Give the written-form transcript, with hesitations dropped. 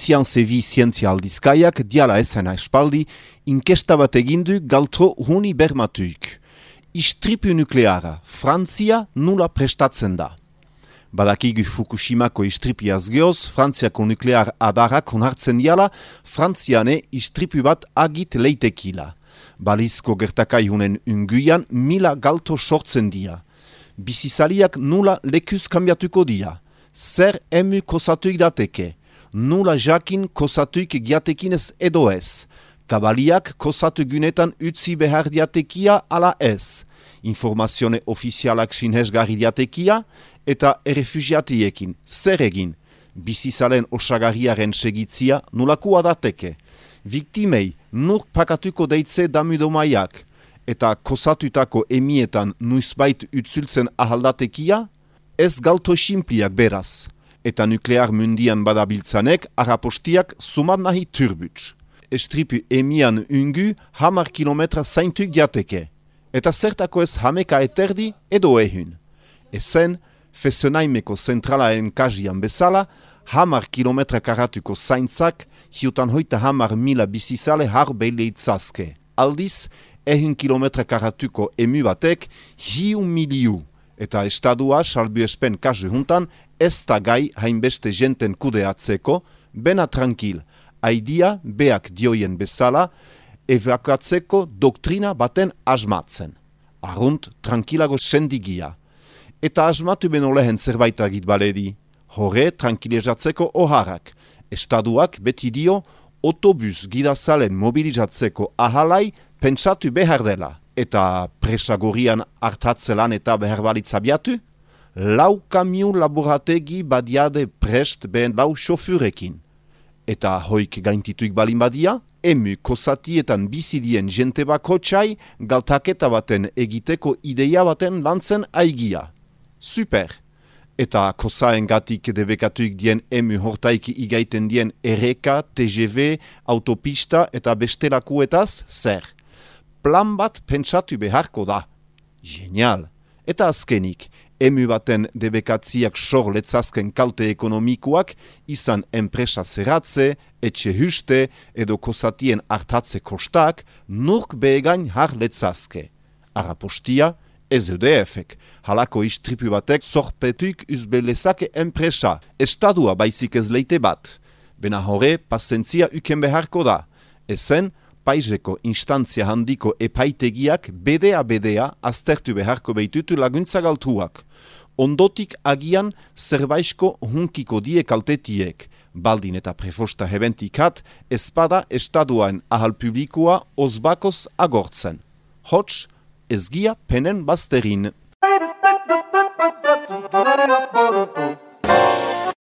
Science zientzia aldizkaiak diala ezena espaldi inkesta bat egindu galtro huni bermatuik. Istripu nukleara, Frantzia nula prestatzen da. Badakigu Fukushimako istripiaz geoz, Frantziako nuklear adarrak onartzen diala, Frantziane istripu bat agit leitekila. Balizko gertakaihunen unguian 1000 galto sortzen dia. Bizizaliak nula lekuz kambiatuko dia. Zer emu kosatuik dateke. Nula jakin kosatuik giatekinez edo ez. Kabaliak kosatu gunetan utzi behar diatekia ala ez. Informazione ofizialak sinhesgarri diatekia eta errefugiatiekin zer egin. Bizizalen osagarriaren segitzia nulakua dateke. Viktimei nur pakatuko deitze damudomaiak eta kosatutako emietan nuizbait utzultzen ahaldatekia ez galto simpliak beraz. Eta nuklear mundian badabiltzanek arapostiak sumat nahi turbuts. Estripu emian ungu 10 kilometra zaintuk diateke. Eta zertako ez hameka eterdi edo ehun. Ezen, Fessenaimeko zentralaen kajian bezala, 10 kilometra karatuko zaintzak, hiutan hoita 10.000 bizizale har beleitzazke. Aldiz, 1 kilometra karatuko emu batek, 1.000.000. Eta estadua, salbu espen kasu juntan, ez da gai hainbeste jenten kudeatzeko, bena tranquil, aidia beak dioien bezala, evakuatzeko doktrina baten asmatzen. Arrunt, tranquilago sendigia. Eta asmatu beno lehen zerbait agit baledi. Hore, tranquilizatzeko oharrak. Estaduak beti dio, autobus gidazalen mobilizatzeko ahalai pentsatu behar dela. Eta presagorian hartatzelan eta behar balitzabiatu? 4 kamion laborategi badiade prest behen 4 xofurekin. Eta hoik gaintituik balin badia, emu kosatietan bizidien jente bakotxai galtaketa baten egiteko ideia baten lantzen aigia. Super! Eta kosaen gatik debekatuik dien emu hortaiki igaiten dien erreka, TGV, autopista eta bestelakuetaz, zer? Plan bat pentsatu beharko da. Genial! Eta azkenik, emu baten debekatziak sor letzazken kalte ekonomikoak izan enpresa zerratze, etxe huste edo kosatien hartatze kostak nurk behegain har letzazke. Arapostia, ez EDF-ek, halako istripu batek zorpetuik uzbelezake enpresa, estadua baizik ez leite bat. Bena hore, pazientzia uken beharko da. Ezen, paizeko instantzia handiko epaitegiak bedea aztertu beharko behitutu laguntza galtuak. Ondotik agian zerbaisko hunkiko die kaltetiek, baldin eta prefosta hebentikat, espada estaduaen ahal publikoa ozbakoz agortzen. Hots, ezgia penen bazterin.